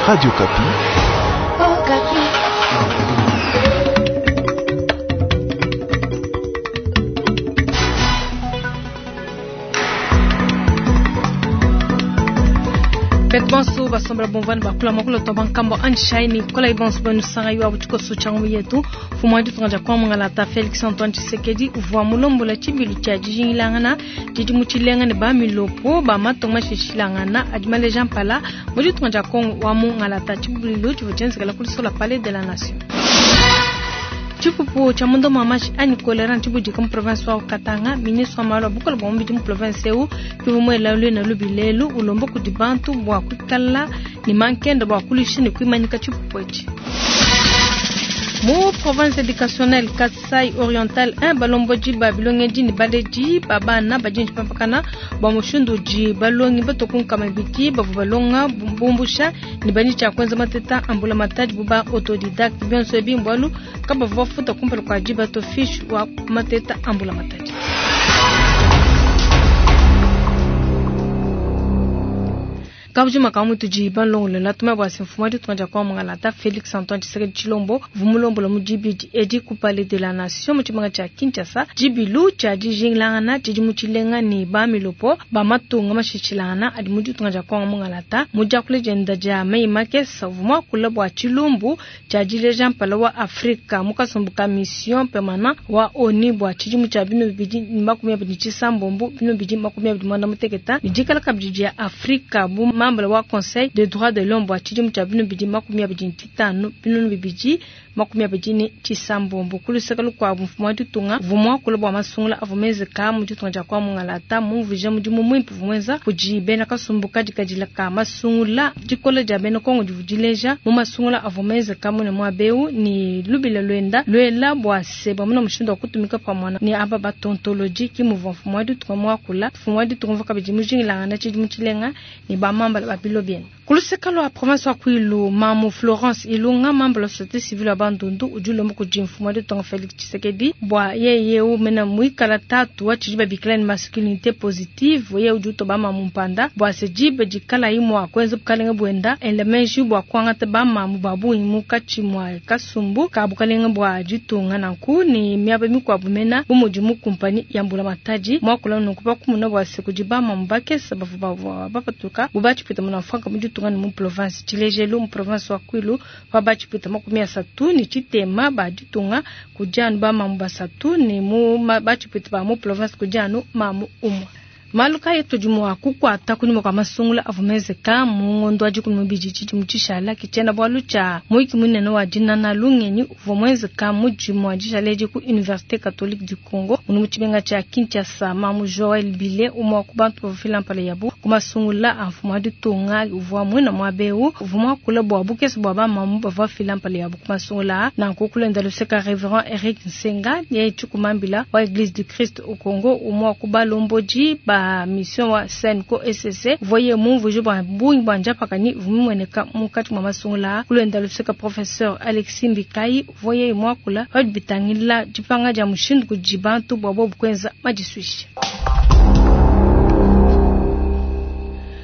Radio Okapi. Betu bonso basombela bumvua ne bakula muakulu tua bankambua anjishayi ne kolayi bonso benu sangayi wa tshikoso tshia ngumu yetu. Mfumu wa ditunga dia Kongo Mungalata Felix Antoine Tshisekedi uvua mulombola tshibilu tshia dijingilangana didi mu tshilenga ne ba milopo ba matunga mashilashilangana adi maleja mpala mu ditunga dia Kongo wa Mungalata. Tshibilu tshivua tshienzekela ku Lisola Palais de la Nation. Tshipupu tshia munda mua mashi anyi kolera ntshibudika mu province wa Katanga. Ministre wa malu a bukole bua mubidi mu province eu ke muela luena lubi lelu ulomba kudi bantu bua kuikala ne mankenda bua kuluisha ne kuimanyika tshipupu etshi. Mu province educationnelle Kasai Oriental 1 balombodi ba bilongedi ne baledi ba bana badi ne dipampakana bua mushindu udi balongi batue ku nkama ibidi bavua balonga bumbusha ne badi tshia kuenza mateta a mbulamatadi bu ba autodidacte. Bionso ebi mbualu kabavua bafuta kumpala kua diba to fiche wa mateta a mbulamatadi. Kabujima ka mutudi balongolola tuma bua se mfumu wa ditunga dia Kongo Mungalata Felix Antoine Tshisekedi Tshilombo uvua mulombola mu dibidi edi ku Palais de la Nation mu tshimenga tshia Kinshasa tshibilu tshia dijingilangana tshidimu tshilenga ne ba milopo ba matunga mashilashilangana adi mu ditunga dia Kongo Mungalata. Mu diakula dienda dia meyi makese uvua muakula bua tshilumbu tshia dileja mpala wa Afrika mu kasumbu ka mission permanent wa ONU bua tshidimu tshia 2026 2031 ne dikala kabidi dia Afrika bu membre wa Conseil des droits de l'homme bua tshidimu tshia 2025 2026. Ku luseke lukuabu, mfumu wa ditunga uvua muakula bua masungula avua menzeka mu ditunga dia Kongo Mungalata, mumvuija mudimu muimpe uvua muenza kudi bena kasumbu kadikadila ka masungula. Dikola dia bena Kongo divua dileja mu masungula avua menzeka mune muaba eu ne lubila luenda luela bua se bamona mushindu wa kutumika pamue ne aba batontolodi, ke muvua mfumu wa ditunga muakula. Mfumu wa ditunga uvua kabidi mujingilangana tshidimu tshilenga ne bamambala ba bilo biende. Ku luseke lua province wa Kwilu, mamu Florence Ilunga, mambala wa societe civile wa Bandundu, udi ulomba kudi mfumu wa ditunga Felix Tshisekedi bua yeye eu mena muikala tatu wa tshidi babikila ne masculinite positive, yeye udi utoba mamu mpanda bua se diba dikalayi mua kuenza bukalenge buenda ela meji bua kuangata bamamu ba bungi munkatshi mua kasumbu ka bukalenge bua ditunga nanku ne miaba mikuabu mena bu mudi mu kumpanyi ya mbulamatadi. Muakula nunku pa kumona bua se kudi bamamu bakese bavua bapatuka bu batshipwita munamfuanka mu ditunga ne mu province. Tshilejelu mu province wa Kwilu pa batshipwita 33 ba ditunga kudi anu bamamu basatu ne mu batshipwita ba mu province kudi anu mamu umue. Malu kayi atudi mua kukuata kunyima kua masungula avua menzeka mu ngondo wa 12 tshidimu tshishala ke tshiena-bualu tshia muyiki munene wa dinana lungenyi uvua muenzeka mu dimue dishala edi ku Universite Catholique du Congo munu mu tshimenga tshia Kinshasa. Mamu Joel Bile, umue wa ku bantu bavua bafila mpala yabu ku masungula a mfumu wa ditunga uvua muina muaba eu, uvua muakule bua bukese bua bamamu bavua bafila mpala yabu ku masungula aa. Nanku kulenda luseka Reverend Eric Nsenga yeye tshikumambila wa Eglise du Christ au Congo, umue wa ku balombodi ba mission wa CENCO ECC, uvua yeye mumvuije bua bungi bua njapakanyi ivua mimueneka munkatshi mua masungula aa. Kulenda luseka Professeur Alexis Mbikayi uvua yeye muakula pa bidi bitangila dipanga dia mushindu kudi bantu bua bobu kuenza madisuisha.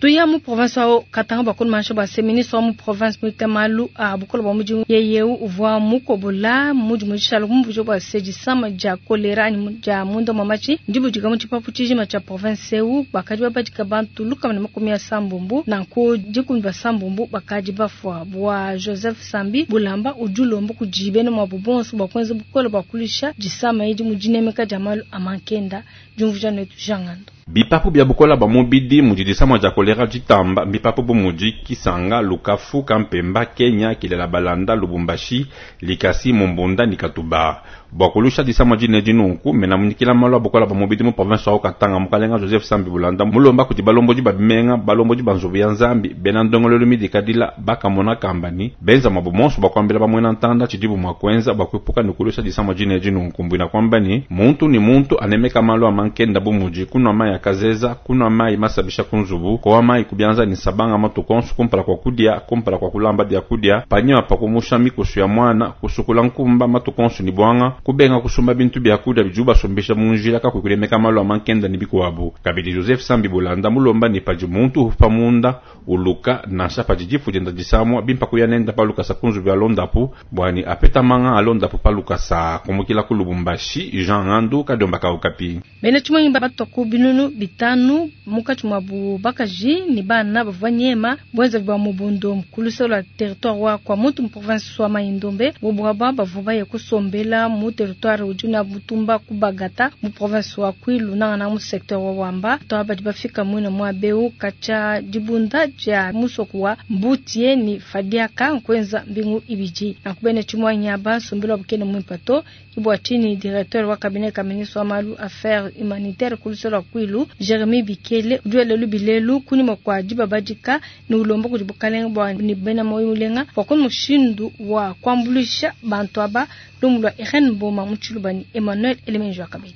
Tuya mu province wa Katanga bua kunumanisha bua se ministre wa mu province muita malu a bukole bua mudimu yeye eu uvua mukobola mudimu dishala kumvuija bua se disama dia kolera anyi dia munda mua matshi ndibudika mu tshipapu tshijima tshia province eu. Bakadi babadika bantu 160 nanku dikumi basambombo bakadi bafua. Bua Joseph Sambi Bulamba udi ulomba kudi bena muabu bonso bua kuenza bukole bua kuluisha disama edi mu dinemeka dia malu a mankenda. Diumvuija netu Jean Ngando. Bipapu bia bukola bua mubidi mudi disama dia kolera ditamba mbipapu bu mudi Kisanga, Lukafu, Kampemba, Kenya, Kilela Balanda, Lubumbashi, Likasi, Mumbunda ne Katuba. Bua kuluisha disama dine edi nunku, mena munyikila malu a bukola bua mubidi mu province wa Haut-Katanga, mukalenga Joseph Sambi Bulanda mulomba kudi balombodi ba bimenga, balombodi ba nzubu ya Nzambi, bena ndongoluelu midikadila, ba kamona kamba ne benza muabu monso bua kuambila ba muena ntanda tshidibu mua kuenza bua kuepuka ne kuluisha disama dine edi nunku. Mbuena kuamba ne, muntu ne muntu anemeka malu a mankenda bu mudi kunua mayi a kazeza, kunua mayi masabisha ku nzubu, kowa mayi ku bianza ne nsabanga matuku onso kumpala kua kudia, kumpala kua kulamba biakudia, panyima pa kumusha mikusu ya muana, kusukula nkumba matuku onso ne buanga. Kubenga kusumba bintu bia kudia bidibu basumbisha mu njila kakuyi kunemeka malu a mankenda ne bikuabu. Kabidi Joseph Sambi Bulanda mulomba ne padi muntu ufupa munda uluka nansha padi difu dienda disamua bimpa kuya nenda pa lukasa ku nzubu ya londapu bua ne apeta manga a londapu pa lukasa. Kumukila ku Lubumbashi, Jean Ngandu, Kadiomba ka Okapi. Bena tshimuangi batua ku binunu bitanu munkatshi muabu bakaji ne bana bavua banyema buenzavi bua Mobondo ku luseke lua territoire wa Kwamouth mu province wa Mai-Ndombe. Bobu aba bavua baye kusombela mu territoire udi na mutumba ku Bagata mu province wa Kwilu nangananga mu secteur wa Wamba. Bantu aba badi bafika muine muaba eu katshia dibunda dia musoko wa Mbutie ne Fadiaka nkuenza mbingu ibidi. Nanku bena tshimuangi aba nsombelu wabu kena muimpe to. Ke bua tshinyi directeur wa cabinet ka ministre wa malu affaires humanitaires ku luse lua Kwilu, Jeremie Bikele, udi wela lubi lelu kunyima kua dibabadika ne ulomba kudi bukalenge bua ne bena muoyo mulenga bua kuona mushindu wa kuambuluisha bantu aba. Lumu lua Irene Mboma mu Tshiluba ne Emmanuel Elemenji wa Kabedi.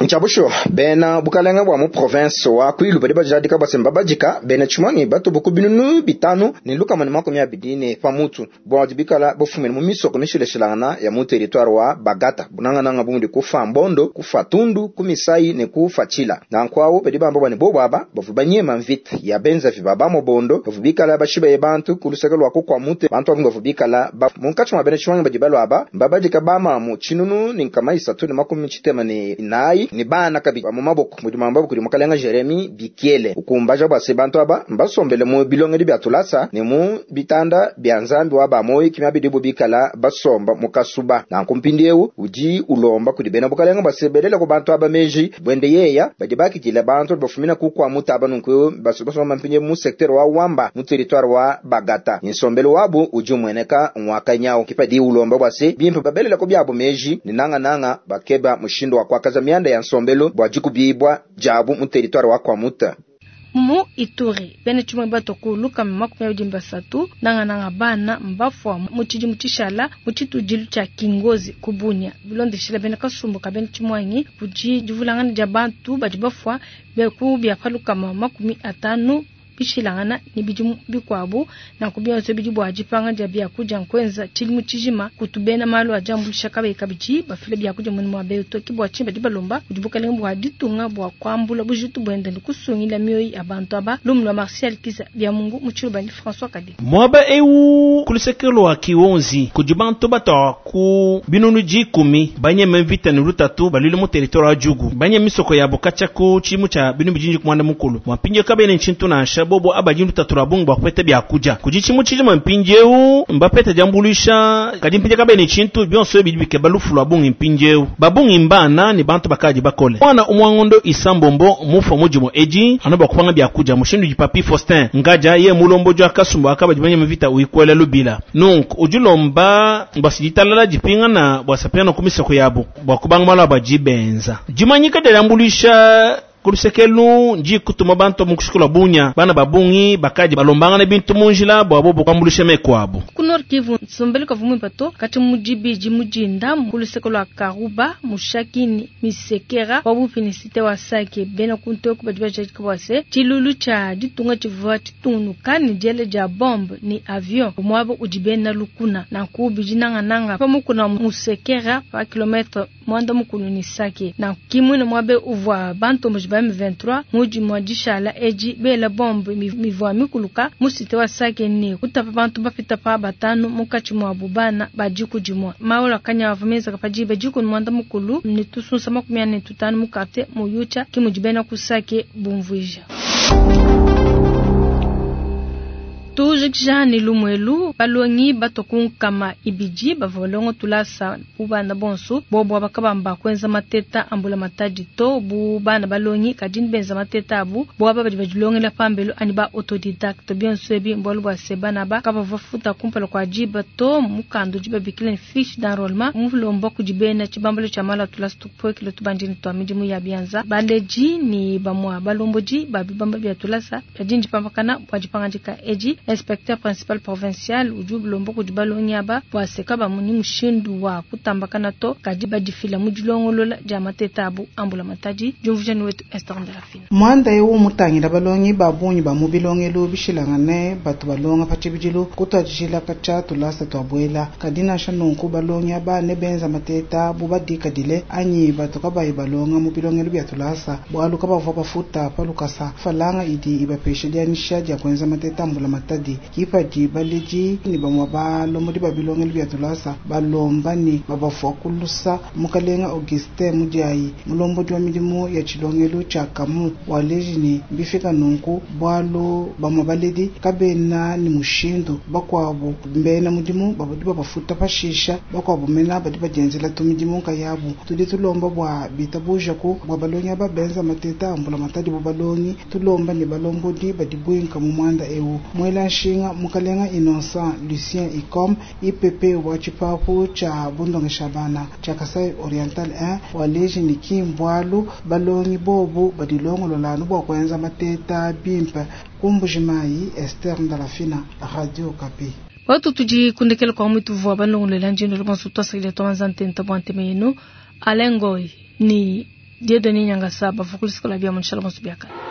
Ntshia bushuwa, bena bukalenge bua mu provense wa Kwilu badi bajadika bua se, mbabadika bena tshimuangi batubu ku 5120 ne pa mutu, bua bikala bafumine mu misoko mishilashilangana ya mu teritware wa Bagata, bunangananga bu mudi ku Fambondo, ku Fatundu, ku Misai ne ku Fatshila. Nanku awu badi bamba bua ne bobu aba bavua banyema mvita ya benzavi ba ba Mobondo bavua bikala bashibaye bantu ku luseke lua ku Kwamute. Bantu ba bungi bavua bikala bafue munkatshi mua bena tshimuangi badi balua aba mbabadika ba mamu 1364 ne bana kabidi ba mu maboko, mudi muambabu kudi mukalenga Jeremie Bikiele, ukumbaja bua se bantu aba mbasombele mu bilongedi bia tulasa ne mu bitanda bia Nzambi wa ba muoyo ki miaba bikala basomba mu kasuba. Nanku mpindieu udi ulomba kudi bena bukalenga bua se belele ku bantu aba meji buende yeya badi bakidila bantu bafumina ku Kwamouth aba nunku basomba mpindieu mu secteur wa Wamba mu territoire wa Bagata. Nsombelu wabu udi umueneka ngwakanyau kipadi ulomba bua se bimpe babelele ku biabu meji ne nangananga bakeba mushindu wa kuakaza mianda ya nsombelu bua dikubibua diabu mu territoire wa Kwamouth. Mu Ituri, bena tshimuangi batua ku 223 nangananga bana mbafua mu tshidimu tshishala mu tshitudilu tshia Kingozi ku Bunia. Bilondeshila bena kasumbu ka bena tshimuangi kudi divulangana dia bantu badi bafua ku bia pa 50 bishilangana ne bidimu bikuabu. Nanku bionso bidi bua dipanga dia biakudia nkuenza tshidimu tshijima kutu bena malu a diambuluisha kabayi kabidi bafila biakudia muine muaba eu to. Ke bua tshinyi badi balomba kudi bukalenge bua ditunga bua kuambula bujitu buende ne kusungila mioyo ya bantu aba. Lumu lua Martial Kiza Biamungu mu Tshiluba ne François Kadi. Muaba eu ku luseke lua Kiwonzi kudi bantu batua ku 10,000 banyeme mvita ne lutatu baluile mu territoire wa Djugu, banyeme misoko yabo katshia ku tshidimu tshia 2010. Mpindieu kabena tshintu nansha bobo abadi lutatu lua bungi bua kupeta biakudia. Kudi tshimu tshijima mpindieu mbapeta diambuluisha, kadi mpindieu kabena tshintu bionso bidi bikeba lufu lua bungi mpindieu. Babungi mbana ne bantu bakadi bakole. Mwana umwangondo isambombo mufa mudimu edi anu bua kupanga biakudia mushindu di Papi Faustin Ngaja ye mulombo jwa kasumbu akabadi banyeme mvita uikwela lubila. Nunku udi lomba bua ditalala dipingana bua sapingana ku misoko yabo bua kubanga malu abo adi benza. Dimanyika dia diambuluisha ku lusekelu ndi kutuma bantu mu kushikula bunya bana babungi bakadi balombangana bintu mu njila bua bobo kuambuluisha meku abo. Ku Nord Kivu, nsombelu kavua muimpe to kati mu dibidi mu dinda ku luseke lua Karuba Mushaki ne Misekera pabuipi ne cité wa Sake. Bena kuntu badi bajadika bua se tshilulu tshia ditunga tshivua tshitungunuka ne diela dia bombe ne avion muaba udi bena lukuna. Nanku bidi nangananga pa mukuna Musekera pa kilomètre 90 ne Sake. Nanku kimwine muaba uvua bantomboji ba M23 mudi mua dishala edi bela bombe mivua mikuluka mu cité wa Sake ne kutapa bantu bapita pa 5 munkatshi muabu bana ba diku dimue. Maolo akanya avua menzeka pa diba 15:45 mu quartier Muyucha kimudi bena ku Sake bumvuija. Tujikija ne lumuelu balongi batua ku 200 bavua balonga tulasa bu bana bonso bobo bakabamba kuenza mateta ambula matadi to bu bana balongi kadi benza mateta abu bo aba badi badilongela pambelu ani ba autodidacte bionso ebi mbualu bua se bana ba kabavua futa kumpala kua diba to mukanda udi babikila ne fiche d'enrôlement mulomba kudi bena tshibambalu tshia malu a tulasa tupuekele tubandini tua midimu ya bianza baleji ne bamua balombodi ba bibamba bia tulasa badi ndipampakana bua dipangadika edi. Inspecteur principal provincial udi ulomba kudi balongi aba bua se kabamonyi mushindu wa kutambakana to, kadi badifila mu dilongolola dia mateta abu a mbulamatadi. Diumvuija ne wetu Esther Ndalafina. Muanda eu mutangila balongi ba bungi ba mu bilongelu bishilangane batu balonga pa tshibidilu kutuadijila katshia tulasa tua buela. Kadi nansha nunku balongi aba ne benza mateta bu badikadile anyi batu kabayi balonga mu bilongelu bia tulasa bualu kabavua bafuta pa lukasa mfranga idi ibapesha dianyisha dia kuenza mateta a mbulamatadi. Ke padi baledi ne bamue balombodi ba bilongelu bia tulasa balomba ne babafua ku lusa. Mukalenga Augustin Mudiayi, mulombodi wa midimu ya tshilongelu tshia Kamu, waleji ne bifika nunku bualu bamue baledi kabena ne mushindu, bakuabu mbena mudimu badi babafuta pashisha, bakuabu mena badi badienzela tumidimu nkayabu. Tudi tulomba bua bitabujaku bua balongi aba benza mateta a mbulamatadi bu balongi, tulomba ne balombodi badi buinka mu muanda eu. Muela nshinga Mukalenga Innocent Lucien Icom IPP wa tshipapu tshia bundongesha bana tshia Kasai Oriental 1 waleji ne ki mbualu balongi bobu badilongolola anu bua kuenza mateta bimpe. Ku Mbujimayi, Esther Ndalafina, Radio Okapi. Watu tudi kundekela kwa mwitu vua balongolola njindu lubanso twasakidila twabanza ntenta bua ntema yenu. Alain Ngoy ni Dieudonné Nyangasa bavua ku luseke lua bia mu nshala bonso biakane.